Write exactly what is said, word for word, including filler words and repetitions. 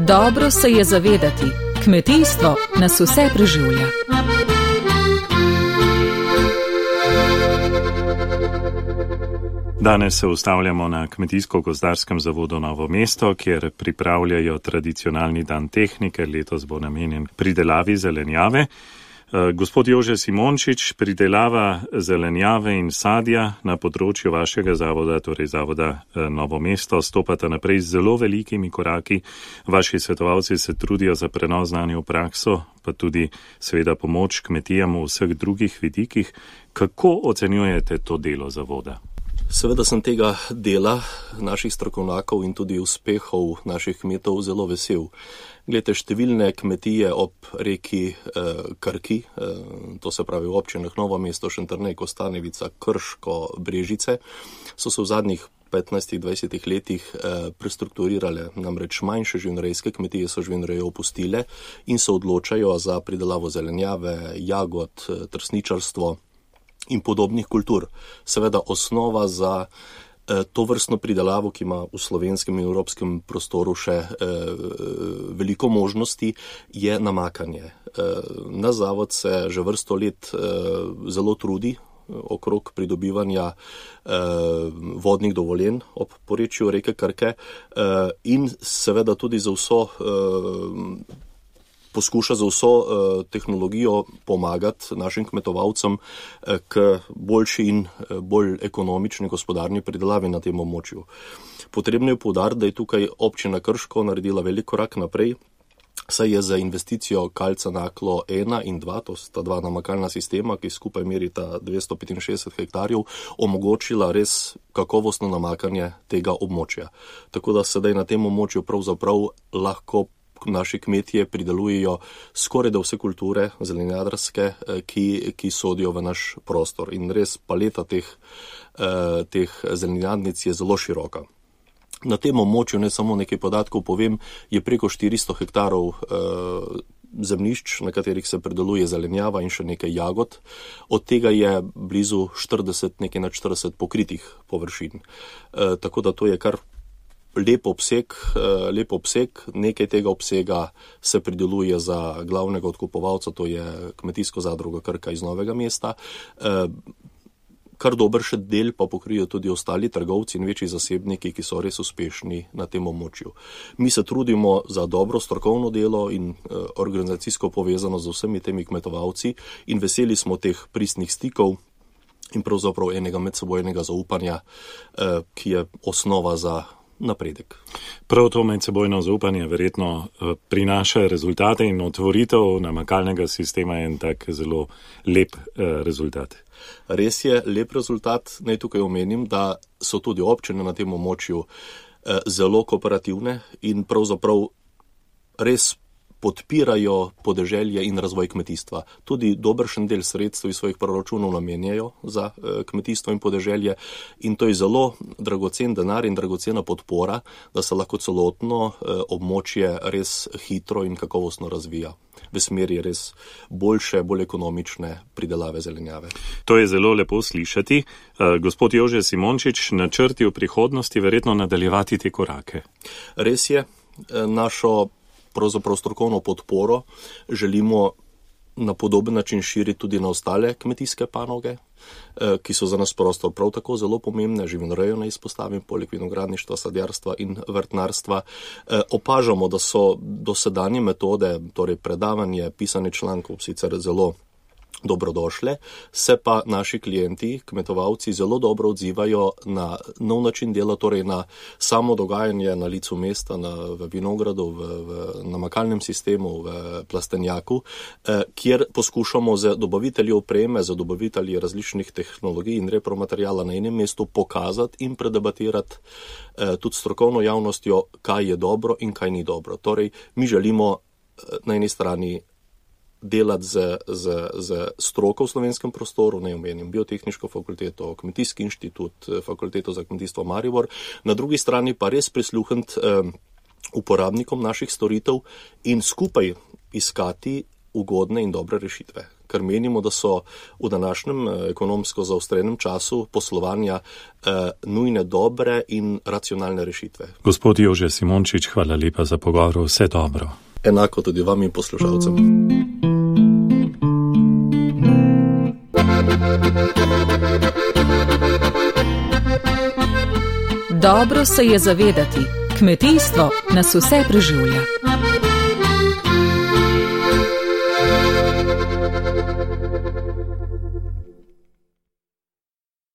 Dobro se je zavedati, kmetijstvo nas vse preživlja. Danes se ustavljamo na Kmetijsko-gozdarskem zavodu Novo mesto, kjer pripravljajo tradicionalni dan tehnike, letos bo namenjen pridelavi zelenjave. Gospod Jože Simončič, pridelava zelenjave in sadja na področju vašega zavoda, torej zavoda Novo mesto, stopata naprej z zelo velikimi koraki. Vaši svetovalci se trudijo za prenos znanja v prakso, pa tudi seveda pomoč kmetijam v vseh drugih vidikih. Kako ocenjujete to delo zavoda? Seveda sem tega dela naših strokovnjakov in tudi uspehov naših kmetov zelo vesel. Glede, številne kmetije ob reki eh, Krki, eh, to se pravi v občinah Novo mesto, Šentjernej, Kostanjevica, Krško, Brežice, so se v zadnjih petnajstih dvajsetih letih eh, prestrukturirale, namreč manjše živinorejske kmetije so živinorejo opustile in se odločajo za pridelavo zelenjave, jagod, trsničarstvo in podobnih kultur. Seveda osnova za to vrstno pridelavo, ki ima v slovenskem in evropskem prostoru še eh, veliko možnosti, je namakanje. Eh, na zavod se že vrsto let eh, zelo trudi okrog pridobivanja eh, vodnih dovoljenj ob porečju reke Krke eh, in seveda tudi za vso eh, poskuša za vso uh, tehnologijo pomagati našim kmetovalcem uh, k boljši in uh, bolj ekonomični gospodarni pridelavi na tem območju. Potrebno je poudariti, da je tukaj občina Krško naredila velik korak naprej, saj je za investicijo Kalca Naklo ena in dva, to sta dva namakalna sistema, ki skupaj merita dvesto petinšestdeset hektarjev, omogočila res kakovostno namakanje tega območja. Tako da sedaj na tem območju pravzaprav lahko naši kmetije pridelujejo skoraj da vse kulture zelenjadarske, ki, ki sodijo v naš prostor. In res paleta teh, teh zelenjadnic je zelo široka. Na tem območju, ne samo nekaj podatkov povem, je preko štiristo hektarov zemljišč, na katerih se prideluje zelenjava in še nekaj jagod. Od tega je blizu štirideset, nekaj nad štirideset pokritih površin. Tako da to je kar Lep obseg, lep obseg, nekaj tega obsega se prideluje za glavnega odkupovalca, to je Kmetijsko zadrugo Krka iz Novega mesta. Kar dober še del pa pokrijo tudi ostali trgovci in večji zasebniki, ki so res uspešni na tem območju. Mi se trudimo za dobro strokovno delo in organizacijsko povezano z vsemi temi kmetovalci in veseli smo teh pristnih stikov in pravzaprav enega medsebojnega zaupanja, ki je osnova za napredek. Prav to medsebojno zaupanje verjetno prinaša rezultate in otvoritev namakalnega sistema je en tak zelo lep rezultat. Res je lep rezultat. Naj tukaj omenim, da so tudi občine na tem območju zelo kooperativne in pravzaprav res podpirajo podeželje in razvoj kmetijstva. Tudi dobršen del sredstev iz svojih proračunov namenjajo za kmetijstvo in podeželje in to je zelo dragocen denar in dragocena podpora, da se lahko celotno območje res hitro in kakovostno razvija v smeri res boljše, bolj ekonomične pridelave zelenjave. To je zelo lepo slišati. Gospod Jože Simončič, načrti v prihodnosti verjetno nadaljevati te korake. Res je, našo pravzaprav strokovno podporo želimo na podoben način širiti tudi na ostale kmetijske panoge, ki so za nas prostor prav tako zelo pomembne, živinorejo ne izpostavim, poleg vinogradništva, sadjarstva in vrtnarstva. Opažamo, da so dosedanje metode, torej predavanje, pisanje člankov sicer zelo dobrodošle, se pa naši klienti, kmetovalci, zelo dobro odzivajo na nov način dela, torej na samo dogajanje na licu mesta, na, v vinogradu, v, v namakalnem sistemu, v plastenjaku, eh, kjer poskušamo z dobavitelji opreme, z dobavitelji različnih tehnologij in repromaterijala na enem mestu pokazati in predebatirati eh, tudi strokovno javnostjo, kaj je dobro in kaj ni dobro. Torej, mi želimo eh, na eni strani delati z, z, z stroko v slovenskem prostoru, ne omenim biotehniško fakulteto, kmetijski inštitut, fakulteto za kmetijstvo Maribor, na drugi strani pa res prisluhniti eh, uporabnikom naših storitev in skupaj iskati ugodne in dobre rešitve. ker menimo, da so v današnjem ekonomsko zaostrenem času poslovanja eh, nujne dobre in racionalne rešitve. Gospod Jože Simončič, hvala lepa za pogovor, vse dobro. Enako tudi vam in poslušalcem. Dobro se je zavedati, kmetijstvo nas vse preživlja.